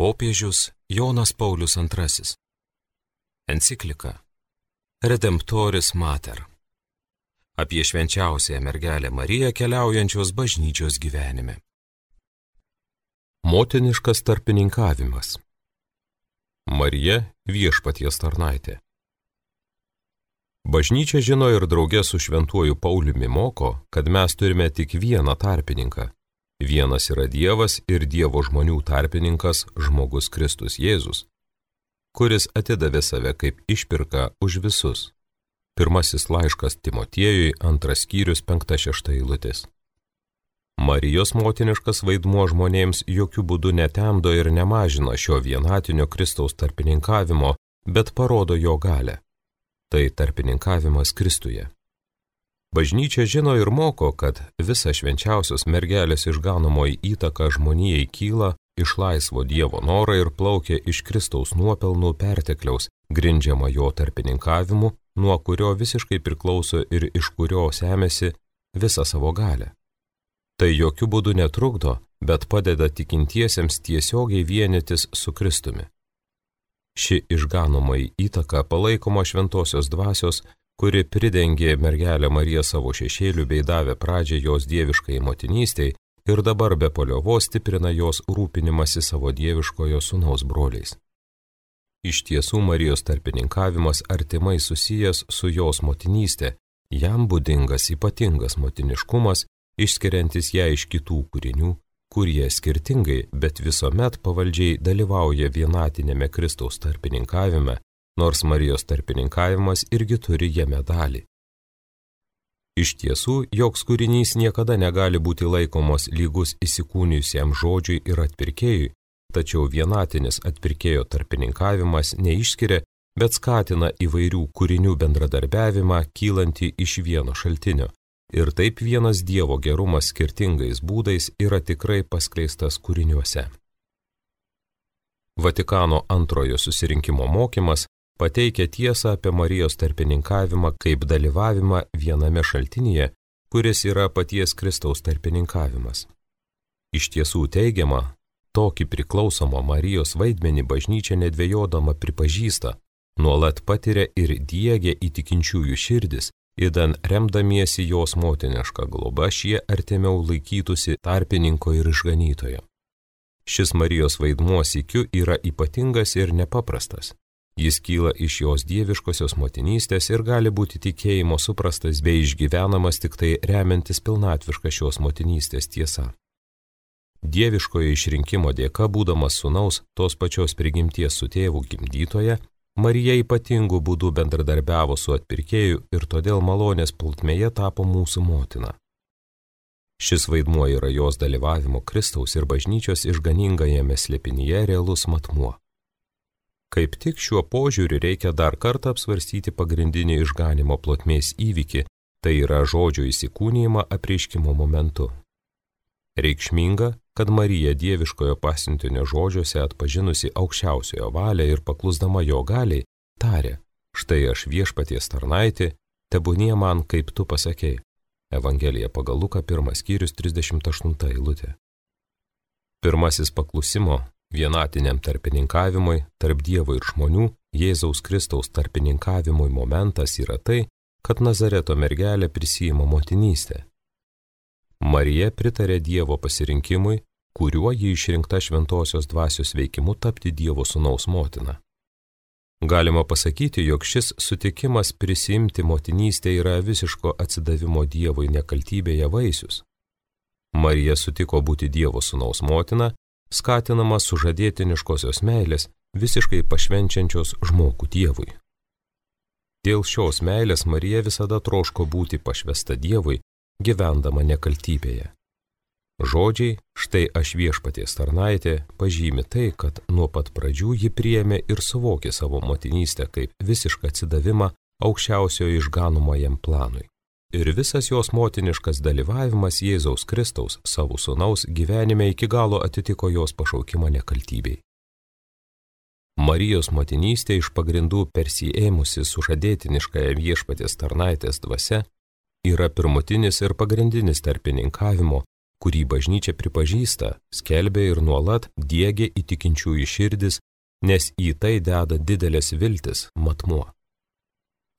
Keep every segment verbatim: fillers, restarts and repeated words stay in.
Popiežius Jonas Paulius antrasis. Enciklika Redemptoris Mater. Apie švenčiausiąją mergelę Mariją keliaujančios bažnyčios gyvenime. Motiniškas tarpininkavimas. Marija viešpaties tarnaitė. Bažnyčia žino ir drauge su šventuoju Pauliumi moko, kad mes turime tik vieną tarpininką. Vienas yra Dievas ir Dievo žmonių tarpininkas žmogus Kristus Jėzus, kuris atidavė save kaip išpirką už visus. Pirmasis laiškas Timotiejui, antras skyrius, penkta šešta eilutės. Marijos motiniškas vaidmuo žmonėms jokių būdų netemdo ir nemažina šio vienatinio Kristaus tarpininkavimo, bet parodo jo galią. Tai tarpininkavimas Kristuje. Bažnyčia žino ir moko, kad visa švenčiausios mergelės išganomoji įtaka žmonijai kyla iš laisvo Dievo noro ir plaukia iš Kristaus nuopelnų pertekliaus, grindžiama jo tarpininkavimu, nuo kurio visiškai priklauso ir iš kurio semėsi visą savo galę. Tai jokių būdų netrukdo, bet padeda tikintiesiems tiesiogiai vienytis su Kristumi. Ši išganomoji įtaka palaikoma šventosios dvasios, kuri pridengė mergelę Mariją savo šešėlių bei davė pradžią jos dieviškai motinystei ir dabar be paliovos stiprina jos rūpinimąsi savo dieviškojo sūnaus broliais. Iš tiesų Marijos tarpininkavimas artimai susijęs su jos motinystė, jam būdingas ypatingas motiniškumas, išskiriantis ją iš kitų kūrinių, kurie skirtingai, bet visuomet pavaldžiai dalyvauja vienatinėme Kristaus tarpininkavime, nors Marijos tarpininkavimas irgi turi jame dalį. Iš tiesų, joks kūrinys niekada negali būti laikomos lygus įsikūnijusiam žodžiui ir atpirkėjui, tačiau vienatinis atpirkėjo tarpininkavimas neišskiria, bet skatina įvairių kūrinių bendradarbiavimą kylantį iš vieno šaltinio, ir taip vienas Dievo gerumas skirtingais būdais yra tikrai paskleistas kūriniuose. Vatikano antrojo susirinkimo mokymas pateikia tiesą apie Marijos tarpininkavimą kaip dalyvavimą viename šaltinyje, kuris yra paties Kristaus tarpininkavimas. Iš tiesų teigiama, tokį priklausomą Marijos vaidmenį bažnyčia nedvejodama pripažįsta, nuolat patiria ir diegia į tikinčiųjų širdis, idan remdamiesi jos motiniška globa šie artimiau laikytųsi tarpininko ir išganytojo. Šis Marijos vaidmuo sykiu yra ypatingas ir nepaprastas. Jis kyla iš jos dieviškosios motinystės ir gali būti tikėjimo suprastas bei išgyvenamas tik tai remiantis pilnatviška šios motinystės tiesa. Dieviškojo išrinkimo dėka, būdamas sūnaus tos pačios prigimties su tėvu gimdytoje, Marija ypatingų būdų bendradarbiavo su atpirkėju ir todėl malonės plotmėje tapo mūsų motina. Šis vaidmuo yra jos dalyvavimo Kristaus ir bažnyčios išganingajame slėpinyje realus matmuo. Kaip tik šiuo požiūriu reikia dar kartą apsvarstyti pagrindinį išganimo plotmės įvykį, tai yra žodžio įsikūnijimą apreiškimo momentu. Reikšminga, kad Marija dieviškojo pasiuntinio žodžiuose atpažinusi aukščiausiojo valią ir paklusdama jo galiai, tarė, štai aš viešpaties tarnaitė, tebūnie man, kaip tu pasakei. Evangelija pagal Luką, pirmas skyrius, trisdešimt aštunta eilutė. Pirmasis paklusimo vienatiniam tarpininkavimui tarp Dievo ir žmonių, Jėzaus Kristaus tarpininkavimui momentas yra tai, kad Nazareto mergelė prisiima motinystę. Marija pritarė Dievo pasirinkimui, kuriuo ji išrinkta šventosios dvasios veikimu tapti Dievo sūnaus motina. Galima pasakyti, jog šis sutikimas prisiimti motinystę yra visiško atsidavimo Dievui nekaltybėje vaisius. Marija sutiko būti Dievo sūnaus motina, skatinama sužadėtiniškosios meilės, visiškai pašvenčiančios žmogų Dievui. Dėl šios meilės Marija visada troško būti pašvesta Dievui, gyvendama nekaltybėje. Žodžiai, štai aš viešpaties tarnaitė, pažymi tai, kad nuo pat pradžių ji priėmė ir suvokė savo motinystę kaip visišką atsidavimą aukščiausiojo išganomajam planui. Ir visas jos motiniškas dalyvavimas Jėzaus Kristaus savo sūnaus gyvenime iki galo atitiko jos pašaukimą nekaltybei. Marijos motinystė iš pagrindų persiėmusi sužadėtiniškąją viešpaties tarnaitės dvasia yra pirmutinis ir pagrindinis tarpininkavimo, kurį bažnyčia pripažįsta, skelbia ir nuolat diegia į tikinčiųjų širdis, nes į tai deda didelės viltis matmuo.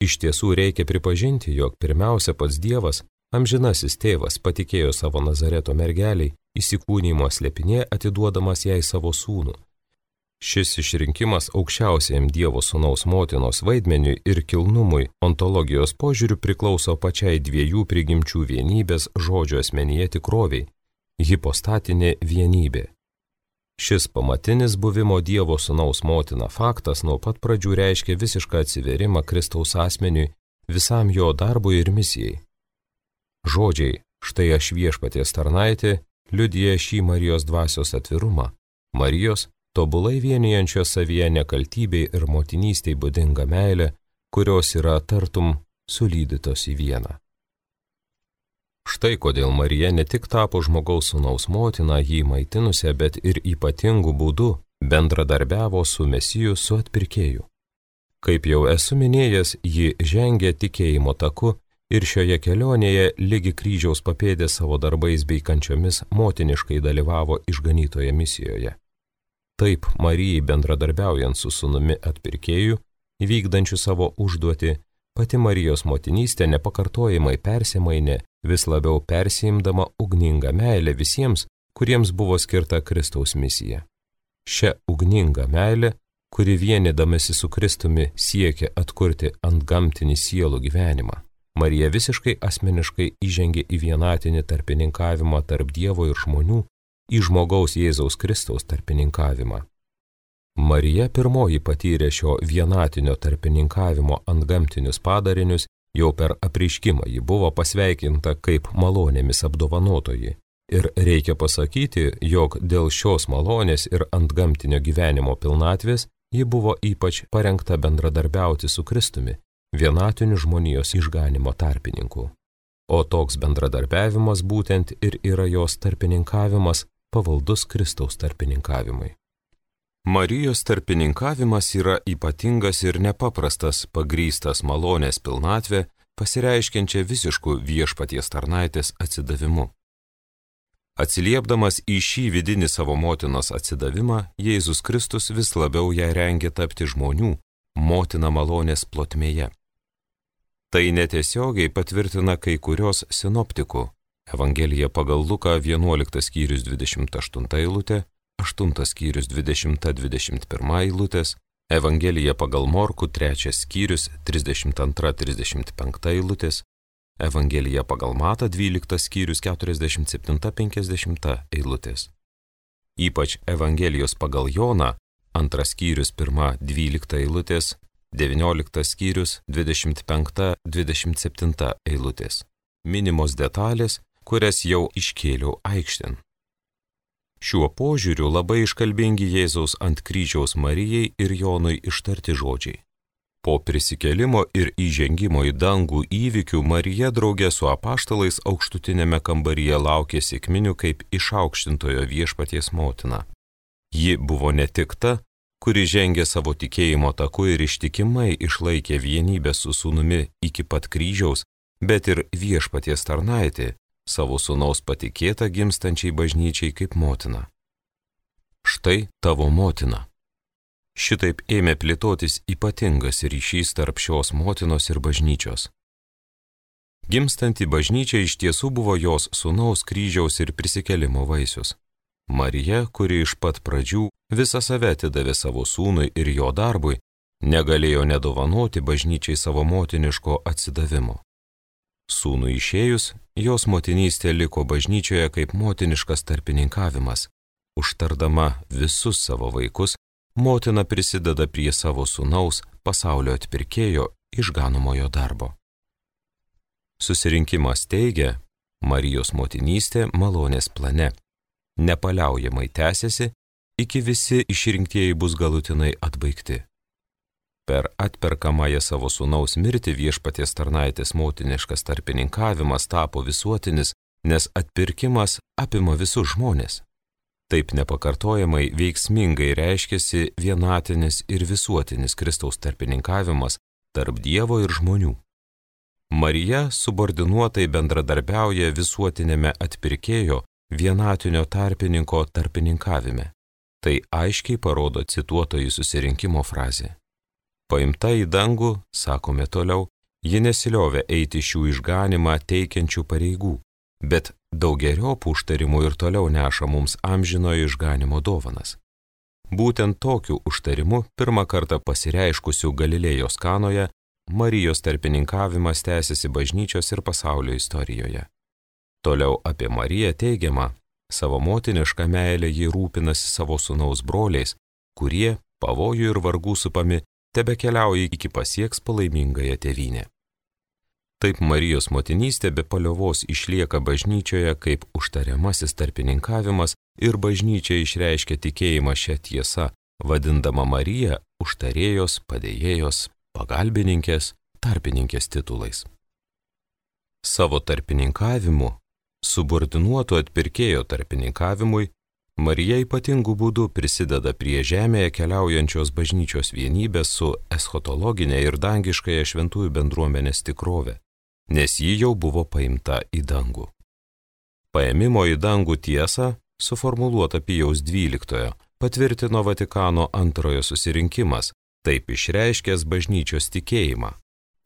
Iš tiesų reikia pripažinti, jog pirmiausia pats Dievas, amžinasis tėvas, patikėjo savo Nazareto mergeliai, įsikūnijimo slėpinė atiduodamas jai savo sūnų. Šis išrinkimas aukščiausiajam Dievo sūnaus motinos vaidmeniui ir kilnumui ontologijos požiūriu priklauso pačiai dviejų prigimčių vienybės žodžio asmenyje tikroviai – hipostatinė vienybė. Šis pamatinis buvimo Dievo sūnaus motina faktas nuo pat pradžių reiškia visišką atsiverimą Kristaus asmeniui, visam jo darbui ir misijai. Žodžiai "štai aš viešpaties tarnaitė" liudija šį Marijos dvasios atvirumą, Marijos tobulai vienijančios savyje nekaltybei ir motinystei būdinga meilė, kurios yra tartum sulydytos į vieną. Štai kodėl Marija ne tik tapo žmogaus sūnaus motina jį maitinusią, bet ir ypatingų būdų bendradarbiavo su Mesiju, su atpirkėju. Kaip jau esu minėjęs, ji žengė tikėjimo taku ir šioje kelionėje lygi kryžiaus papėdė savo darbais bei kančiomis motiniškai dalyvavo išganytoje misijoje. Taip, Marijai bendradarbiaujant su sūnumi atpirkėju, įvykdančiu savo užduotį, pati Marijos motinystė nepakartojamai persimainė, vis labiau persiimdama ugningą meilę visiems, kuriems buvo skirta Kristaus misija. Šia ugninga meilė, kuri vienydamasi su Kristumi siekia atkurti antgamtinį sielų gyvenimą, Marija visiškai asmeniškai įžengė į vienatinį tarpininkavimą tarp Dievo ir žmonių, į žmogaus Jėzaus Kristaus tarpininkavimą. Marija pirmoji patyrė šio vienatinio tarpininkavimo antgamtinius padarinius, jau per apreiškimą ji buvo pasveikinta kaip malonėmis apdovanotoji. Ir reikia pasakyti, jog dėl šios malonės ir antgamtinio gyvenimo pilnatvės ji buvo ypač parengta bendradarbiauti su Kristumi, vienatiniu žmonijos išganimo tarpininku. O toks bendradarbiavimas būtent ir yra jos tarpininkavimas, pavaldus Kristaus tarpininkavimui. Marijos tarpininkavimas yra ypatingas ir nepaprastas, pagrįstas malonės pilnatvė, pasireiškiančia visišku viešpaties tarnaitės atsidavimu. Atsiliepdamas į šį vidinį savo motinos atsidavimą, Jėzus Kristus vis labiau ją rengė tapti žmonių, motina malonės plotmėje. Tai netiesiogiai patvirtina kai kurios sinoptikų. Evangelija pagal Luką vienuoliktas skyrius dvidešimt aštunta eilutė, aštuntas skyrius dvidešimta dvidešimt pirma eilutės, Evangelija pagal Morkų trečias skyrius trisdešimt antra trisdešimt penkta eilutės, Evangelija pagal Matą dvyliktas skyrius keturiasdešimt septinta penkiasdešimta eilutės. Ypač Evangelijos pagal Joną antras skyrius pirma dvylikta eilutės, devynioliktas skyrius dvidešimt penkta dvidešimt septinta eilutės. Minimos detalės, kurias jau iškėliau aikštėn. Šiuo požiūriu labai iškalbingi Jėzaus ant kryžiaus Marijai ir Jonui ištarti žodžiai. Po prisikėlimo ir įžengimo į dangų įvykių Marija draugė su apaštalais aukštutinėme kambaryje laukė sekminių kaip išaukštintojo viešpaties motina. Ji buvo ne tik ta, kuri žengė savo tikėjimo taku ir ištikimai išlaikė vienybę su sūnumi iki pat kryžiaus, bet ir viešpaties tarnaitė, savo sūnaus patikėta gimstančiai bažnyčiai kaip motina. Štai tavo motina. Šitaip ėmė plėtotis ypatingas ryšys tarp šios motinos ir bažnyčios. Gimstanti bažnyčia iš tiesų buvo jos sūnaus kryžiaus ir prisikėlimo vaisius. Marija, kuri iš pat pradžių visą save atidavė savo sūnui ir jo darbui, negalėjo nedovanoti bažnyčiai savo motiniško atsidavimo. Sūnui išėjus, jos motinystė liko bažnyčioje kaip motiniškas tarpininkavimas. Užtardama visus savo vaikus, motina prisideda prie savo sūnaus pasaulio atpirkėjo išganomojo darbo. Susirinkimas teigia, Marijos motinystė malonės plane nepaliaujamai tęsiasi, iki visi išrinktieji bus galutinai atbaigti. Per atperkamąją savo sūnaus mirtį viešpaties tarnaitės motiniškas tarpininkavimas tapo visuotinis, nes atpirkimas apima visus žmonės. Taip nepakartojamai veiksmingai reiškiasi vienatinis ir visuotinis Kristaus tarpininkavimas tarp Dievo ir žmonių. Marija subordinuotai bendradarbiauja visuotinėme atpirkėjo vienatinio tarpininko tarpininkavime. Tai aiškiai parodo cituotojų susirinkimo frazė. Paimta į dangų, sakome toliau, ji nesiliovė eiti šių išganimą teikiančių pareigų, bet daugeriopų užtarimų ir toliau neša mums amžinojo išganimo dovanas. Būtent tokiu užtarimu pirmą kartą pasireiškusių Galilėjos Kanoje Marijos tarpininkavimas tęsiasi bažnyčios ir pasaulio istorijoje. Toliau apie Mariją teigiama, savo motinišką meilę ji rūpinasi savo sūnaus broliais, kurie, pavojų ir vargų supami, tebekeliauja iki pasieks palaimingąją tėvynę. Taip Marijos motinystė be paliovos išlieka bažnyčioje kaip užtariamasis tarpininkavimas ir bažnyčia išreiškia tikėjimą šią tiesą, vadindama Mariją užtarėjos, padėjėjos, pagalbininkės, tarpininkės titulais. Savo tarpininkavimu, subordinuoto atpirkėjo tarpininkavimui, Marija ypatingų būdų prisideda prie žemėje keliaujančios bažnyčios vienybės su eschatologinė ir dangiškąja šventųjų bendruomenės tikrove, nes ji jau buvo paimta į dangų. Paėmimo į dangų tiesą, suformuluota Pijaus dvyliktojo, patvirtino Vatikano antrojo susirinkimas, taip išreiškęs bažnyčios tikėjimą.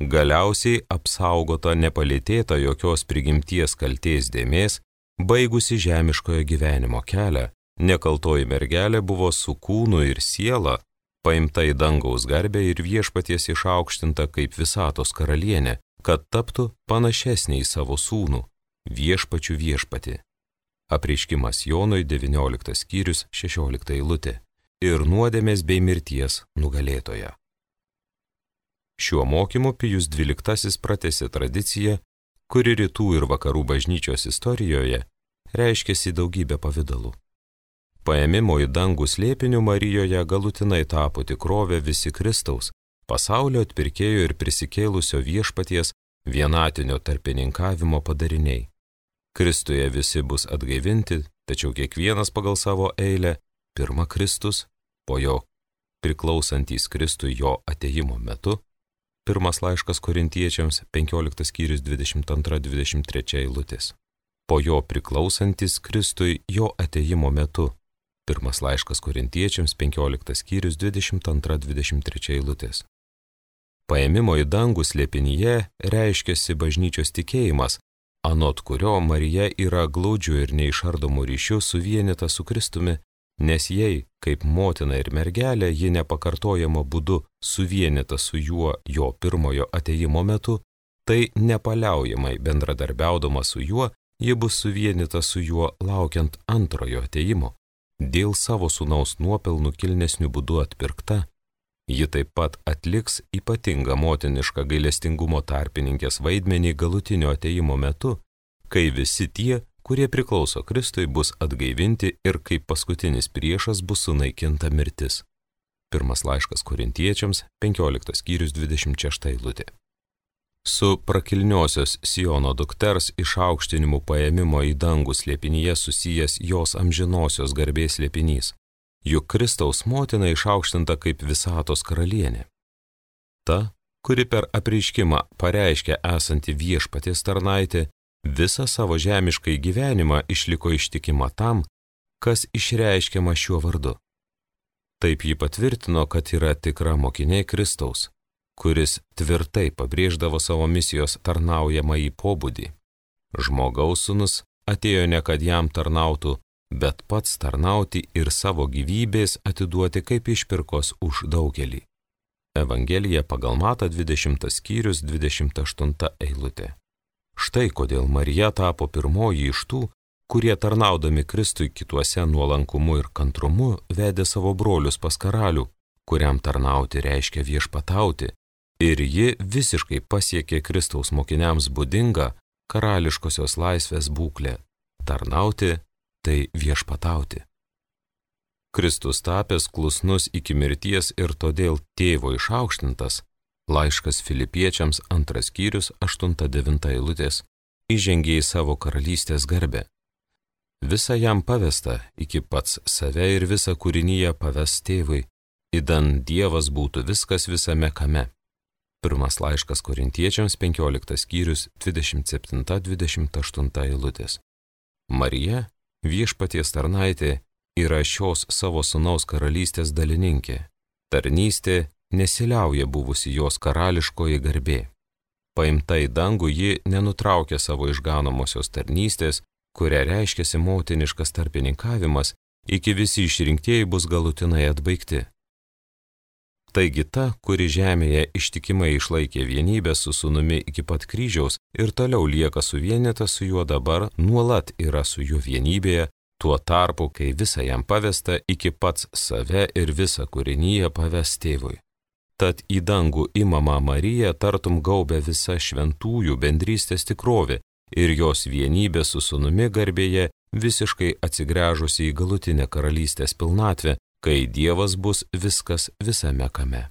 Galiausiai apsaugota nepalėtėta jokios prigimties kaltės dėmės, baigusi žemiškojo gyvenimo kelią, nekaltoji mergelė buvo su kūnu ir siela, paimta į dangaus garbę ir viešpaties išaukštinta kaip visatos karalienė, kad taptų panašesnė į savo sūnų, viešpačių viešpatį. Apreiškimas Jonui devynioliktas skyrius šešiolikta eilutė. Ir nuodėmės bei mirties nugalėtoja. Šiuo mokymu Pijus dvyliktasis pratęsė tradiciją, kuri rytų ir vakarų bažnyčios istorijoje reiškėsi daugybę pavydalų. Paėmimo į dangų slėpiniu Marijoje galutinai tapo tikrovė visi Kristaus, pasaulio atpirkėjo ir prisikėlusio viešpaties vienatinio tarpininkavimo padariniai. Kristuje visi bus atgaivinti, tačiau kiekvienas pagal savo eilę, pirma Kristus, po jo priklausantys Kristui jo atėjimo metu, pirmas laiškas Korintiečiams penkioliktas skyrius dvidešimt antra dvidešimt trečia eilutės. Po jo priklausantys Kristui jo atėjimo metu, pirmas laiškas Korintiečiams penkioliktas skyrius dvidešimt antra dvidešimt trečia eilutės. Paėmimo į dangų slėpinyje reiškiasi bažnyčios tikėjimas, anot kurio Marija yra glaudžiu ir neišardomu ryšiu suvienyta su Kristumi, nes jei, kaip motina ir mergelė, ji nepakartojama būdu suvienyta su juo jo pirmojo atėjimo metu, tai nepaliaujamai bendradarbiaudama su juo, ji bus suvienyta su juo laukiant antrojo atėjimo. Dėl savo sūnaus nuopelnų kilnesnių būdų atpirkta, ji taip pat atliks ypatingą motinišką gailestingumo tarpininkės vaidmenį galutinio atėjimo metu, kai visi tie, kurie priklauso Kristui, bus atgaivinti ir kaip paskutinis priešas bus sunaikinta mirtis. Pirmas laiškas Korintiečiams, penkioliktas skyrius dvidešimt šešta eilutė. Su prakilniosios Siono dukters išaukštinimu paėmimo į dangų slėpinyje susijęs jos amžinosios garbės slėpinys, juk Kristaus motina išaukštinta kaip visatos karalienė. Ta, kuri per apreiškimą pareiškia esanti viešpaties tarnaitė, visą savo žemiškai gyvenimą išliko ištikima tam, kas išreiškiama šiuo vardu. Taip ji patvirtino, kad yra tikra mokinė Kristaus, kuris tvirtai pabrėždavo savo misijos tarnaujamąjį pobūdį. Žmogaus sūnus atėjo ne kad jam tarnautų, bet pats tarnauti ir savo gyvybės atiduoti kaip išpirkos už daugelį. Evangelija pagal Matą dvidešimtas skyrius dvidešimt aštunta eilutė. Štai kodėl Marija tapo pirmoji iš tų, kurie tarnaudami Kristui kituose nuolankumu ir kantrumu vedė savo brolius pas karalių, kuriam tarnauti reiškia viešpatauti, ir ji visiškai pasiekė Kristaus mokiniams būdingą karališkosios laisvės būklę. Tarnauti tai viešpatauti. Kristus tapęs klusnus iki mirties ir todėl tėvo išaukštintas, laiškas Filipiečiams antras skyrius aštunta devinta eilutės, įžengė į savo karalystės garbę. Visa jam pavesta, iki pats save ir visą kūrinyje paves tėvui, idan Dievas būtų viskas visame kame. Pirmas laiškas Korintiečiams penkioliktas skyrius dvidešimt septinta dvidešimt aštunta eilutės. Marija, viešpaties tarnaitė yra šios savo sūnaus karalystės dalininkė. Tarnystė nesiliauja buvusi jos karališkoji garbė. Paimta į dangų, ji nenutraukia savo išganomosios tarnystės, kuria reiškiasi motiniškas tarpininkavimas, iki visi išrinktieji bus galutinai atbaigti. Taigi ta, kuri žemėje ištikimai išlaikė vienybę su sūnumi iki pat kryžiaus ir toliau lieka suvienyta su juo dabar, nuolat yra su juo vienybėje, tuo tarpu, kai visa jam pavesta, iki pats save ir visą kūrinyje paves tėvui. Tad į dangų imama Marija tartum gaubia visa šventųjų bendrystės tikrovė ir jos vienybė su sūnumi garbėje visiškai atsigręžusi į galutinę karalystės pilnatvę, kai Dievas bus viskas visame kame.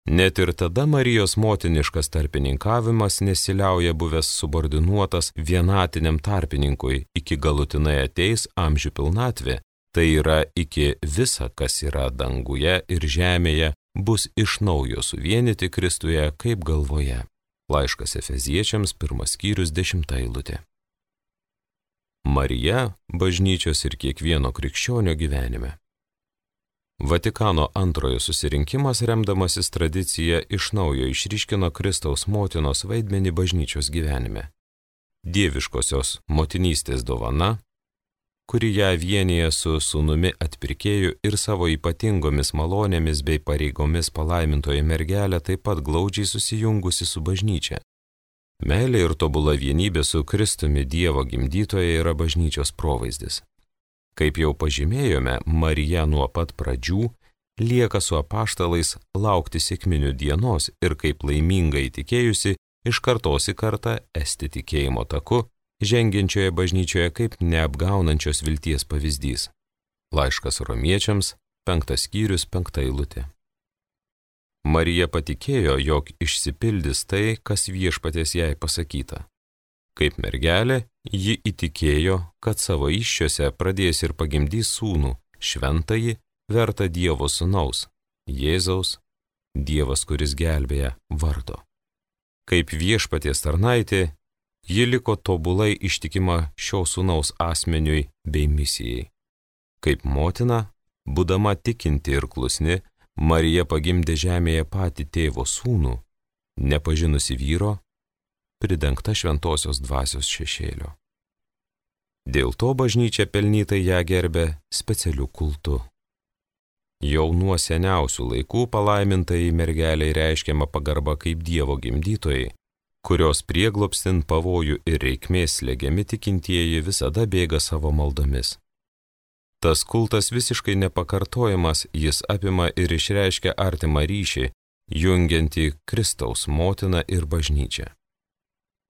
Net ir tada Marijos motiniškas tarpininkavimas nesiliauja buvęs subordinuotas vienatiniam tarpininkui, iki galutinai ateis amžių pilnatvė, tai yra iki visa, kas yra danguje ir žemėje, bus iš naujo suvienyti Kristuje kaip galvoje. Laiškas Efeziečiams, pirmas skyrius, dešimta eilutė. Marija bažnyčios ir kiekvieno krikščionio gyvenime. Vatikano antrojo susirinkimas, remdamasis tradicija, iš naujo išryškino Kristaus motinos vaidmenį bažnyčios gyvenime. Dieviškosios motinystės dovana, kuri ją vienyje su sūnumi atpirkėju ir savo ypatingomis malonėmis bei pareigomis palaimintoji mergelė, taip pat glaudžiai susijungusi su bažnyčia. Meilė ir tobula vienybė su Kristumi Dievo gimdytoje yra bažnyčios provaizdis. Kaip jau pažymėjome, Marija nuo pat pradžių lieka su apaštalais laukti sekminių dienos ir kaip laimingai įtikėjusi, iš kartos į kartą esti tikėjimo taku, žengiančioje bažnyčioje kaip neapgaunančios vilties pavyzdys. Laiškas Romiečiams, penktas skyrius, penkta eilutė. Marija patikėjo, jog išsipildys tai, kas viešpaties jai pasakyta. Kaip mergelė, ji įtikėjo, kad savo įsčiose pradės ir pagimdys sūnų, šventąjį, vertą Dievo sūnaus, Jėzaus, Dievas, kuris gelbėja, vardo. Kaip viešpaties tarnaitė, ji liko tobulai ištikima šio sūnaus asmeniui bei misijai. Kaip motina, būdama tikinti ir klusni, Marija pagimdė žemėje patį tėvo sūnų, nepažinusi vyro, pridengta šventosios dvasios šešėlio. Dėl to bažnyčia pelnytai ją gerbė specialiu kultu. Jau nuo seniausių laikų palaimintai mergeliai reiškiama pagarba kaip Dievo gimdytojai, kurios prieglobstin pavojų ir reikmės slegiami tikintieji visada bėga savo maldomis. Tas kultas visiškai nepakartojamas, jis apima ir išreiškia artimą ryšį, jungiantį Kristaus motiną ir bažnyčią.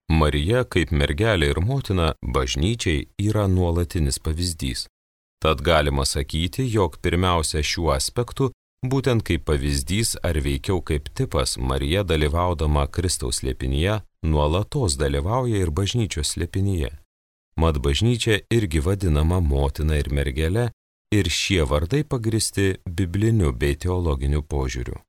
Marija, kaip mergelė ir motina, bažnyčiai yra nuolatinis pavyzdys. Tad galima sakyti, jog pirmiausia šiuo aspektu, būtent kaip pavyzdys ar veikiau kaip tipas, Marija dalyvaudama Kristaus slėpinyje, nuolatos dalyvauja ir bažnyčios slėpinyje. Mat bažnyčia irgi vadinama motina ir mergele, ir šie vardai pagristi bibliniu bei teologiniu požiūriu.